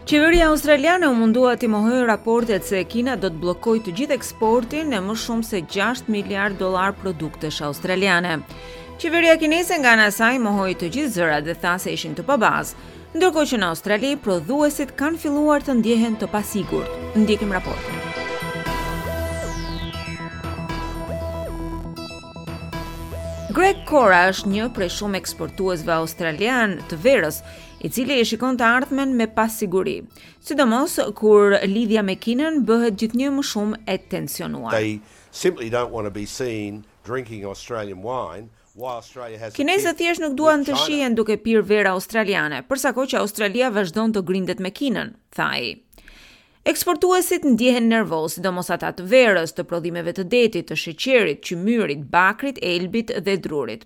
Qeveria australiane u mundua t'i mohojë raportet se Kina do të bllokojë të gjithë eksportin e më shumë se 6 miliard dollar produktesh australiane. Qeveria kineze nga ana e saj mohoi të gjithë zërat dhe tha se ishin të pabazë, ndërkohë që në Australi prodhuesit kanë filluar të ndjehen të pasigurt. Ndjekim raportin. Greg Cora është një prej shumë eksportuesve australianë të verës, i cili e shikon të ardhmen me pasiguri, sidomos kur lidhja me Kinën bëhet gjithnjë më shumë e tensionuar. They simply don't want to be seen drinking Australian wine while Australia has a Kinezët thjesht nuk duan të shihen duke pirë verë australiane, për sa kohë që Australia vazhdon të grindet me Kinën, tha ai. Eksportuesit ndjehen nervozë, sidomos ata të verës, të prodhimeve të detit, të sheqerit, qymyrit, bakrit, elbit dhe drurit.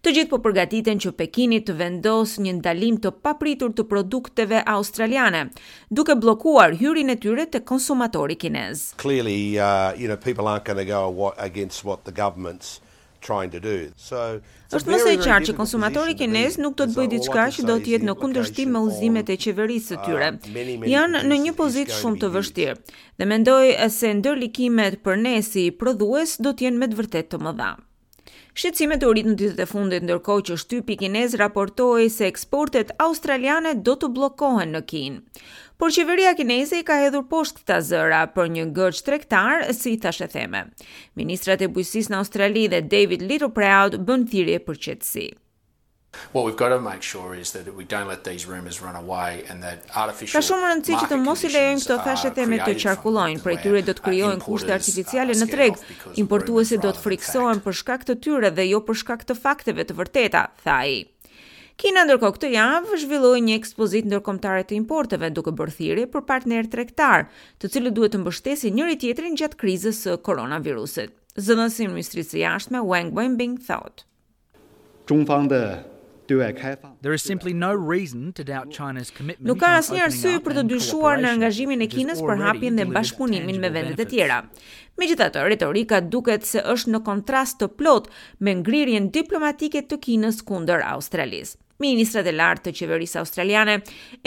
Të gjithë po përgatiten që Pekini të vendosë një ndalim të papritur të produkteve australiane, duke bllokuar hyrjen e tyre te konsumatori kinez. Clearly, uh, you know, people aren't going to go against what the government's trying to do. So, Është më se e qartë që konsumatori kinez nuk do të bëjë diçka që do të jetë në kundërshtim me udhëzimet e qeverisë së tyre. Janë në një pozitë shumë të vështirë dhe mendoj se ndërlikimet për ne si prodhues do të jenë me të vërtetë të mëdha. Shqetësimet u rritën ditët e fundit ndërkohë që shtypi kinez raportoi se eksportet australiane do të bllokohen në Kinë. Por qeveria kineze i ka hedhur poshtë këta zëra për një ngërç tregtar si thashetheme. Ministrat e bujqësisë në Australi dhe David Littleproud bën thirrje për qetësi. What we've got to make sure is that we don't let these rumors run away and that artificial Ka shumë rëndësi që të mos i lejojmë këto thashetheme të qarkullojnë, prej tyre do të krijohen kushte artificiale në treg, importuesit do të frikësohen për shkak të tyre dhe jo për shkak të fakteve të vërteta, tha ai. Kina ndërkohë këtë javë zhvilloi një ekspozitë ndërkombëtare të importeve duke bërë thirrje për partnerë tregtarë, të cilët duhet të mbështesin njëri-tjetrin gjatë krizës së koronavirusit. Zëdhënësi i Ministrisë së Jashtme Wang Wenbin thotë. There is simply no reason to doubt China's commitment Nuk ka asnjë arsye për të dyshuar në angazhimin e Kinës për hapjen dhe bashkëpunimin me vendet e tjera. Megjithatë, retorika duket se është në kontrast të plotë me ngrirjen diplomatike të Kinës kundër Australisë. Ministrat e lartë të qeverisë australiane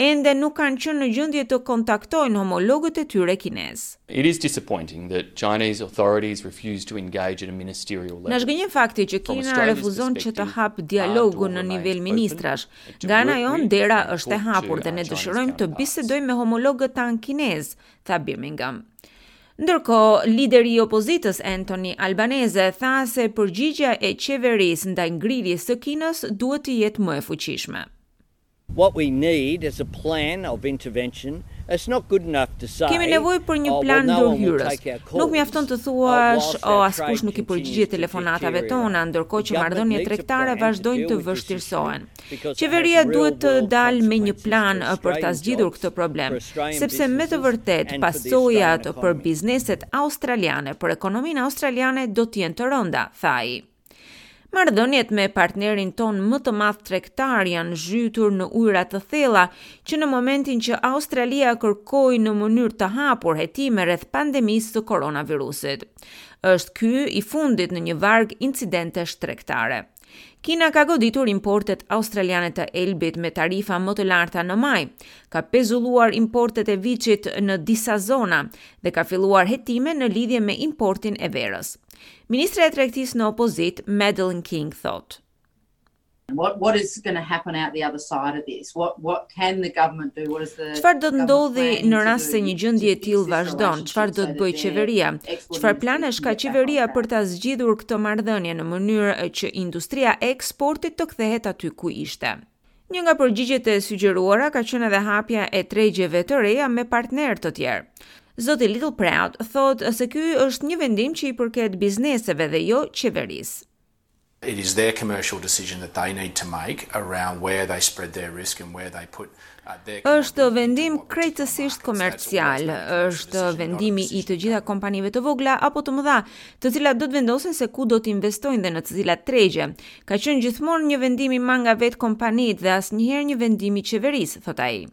ende nuk kanë qenë në gjendje të kontaktojnë homologët e tyre kinezë. It is disappointing that Chinese authorities refuse to engage at a ministerial level. Na zhgënjen fakti që Kina refuzon që të hapë dialogun në nivel ministrash. Nga ana jonë dera është e hapur dhe ne dëshirojmë të bisedojmë me homologët tanë kinezë, tha Birmingham. Ndërkohë, lideri i opozitës Anthony Albanese tha se përgjigja e qeverisë ndaj ngrirjes së Kinës duhet të jetë më e fuqishme. What we need is a plan of intervention. It's not good enough to say, Kemi nevojë për një oh, plan well, no one will ndërhyrës. take our calls, Nuk mjafton të uh, thuash, whilst o our askush trade nuk i continues përgjigjet to telefonatave deteriorate. tona, ndërkohë The që government marrëdhëniet needs a tregtare plan to vazhdojnë deal të with this issue vështirësohen. because it has Qeveria real duhet të world dalë me një consequences plan for për ta Australian zgjidhur jobs, këtë problem, for Australian sepse me të businesses vërtetë and for the Australian pasojat për economy. bizneset australiane, për ekonominë australiane do të jenë të rënda, tha ai. Marrëdhëniet me partnerin tonë më të madh tregtar janë zhytur në ujëra të thella që në momentin që Australia kërkoi në mënyrë të hapur hetime rreth pandemisë së koronavirusit. Është ky i fundit në një varg incidentesh tregtare. Kina ka goditur importet australiane të elbit me tarifa më të larta në maj, ka pezulluar importet e viçit në disa zona dhe ka filluar hetime në lidhje me importin e verës. Ministra e Tregtisë në opozitë, Madeleine King thotë: What what is going to happen out the other side of this? What what can the government do? What is the Çfarë do të government ndodhi planning në to rast se do një to gjendje e fix tillë this vazhdon? Çfarë relationship do so të that bëjë their qeveria? export Çfarë industry planesh can ka get back on qeveria track? për ta zgjidhur këtë marrëdhënie në mënyrë që industria e eksportit të kthehet aty ku ishte? Një nga përgjigjet e sugjeruara ka qenë edhe hapja e tregjeve të reja me partnerë të tjerë. Zoti Littleproud thotë se ky është një vendim që i përket bizneseve dhe jo qeverisë. It is their commercial decision that they need to make around where they spread their risk and where they put uh, their Është commodity into vendim what particular krejtësisht markets. That's always komercial, been a commercial është decision, not a vendimi i decision të of gjitha government. kompanive të vogla apo të mëdha, të cilat do të vendosin se ku do të investojnë dhe në të cilat tregje. Ka qenë gjithmonë një vendim i marrë nga vetë kompanitë dhe asnjëherë një vendim i qeverisë, thot ai.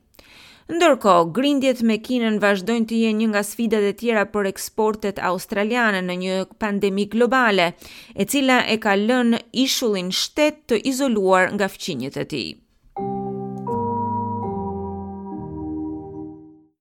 Ndërkohë, grindjet me Kinën vazhdojnë të jenë një nga sfidat e tjera për eksportet australiane në një pandemi globale, e cila e ka lënë ishullin shtet të izoluar nga fqinjët e tij.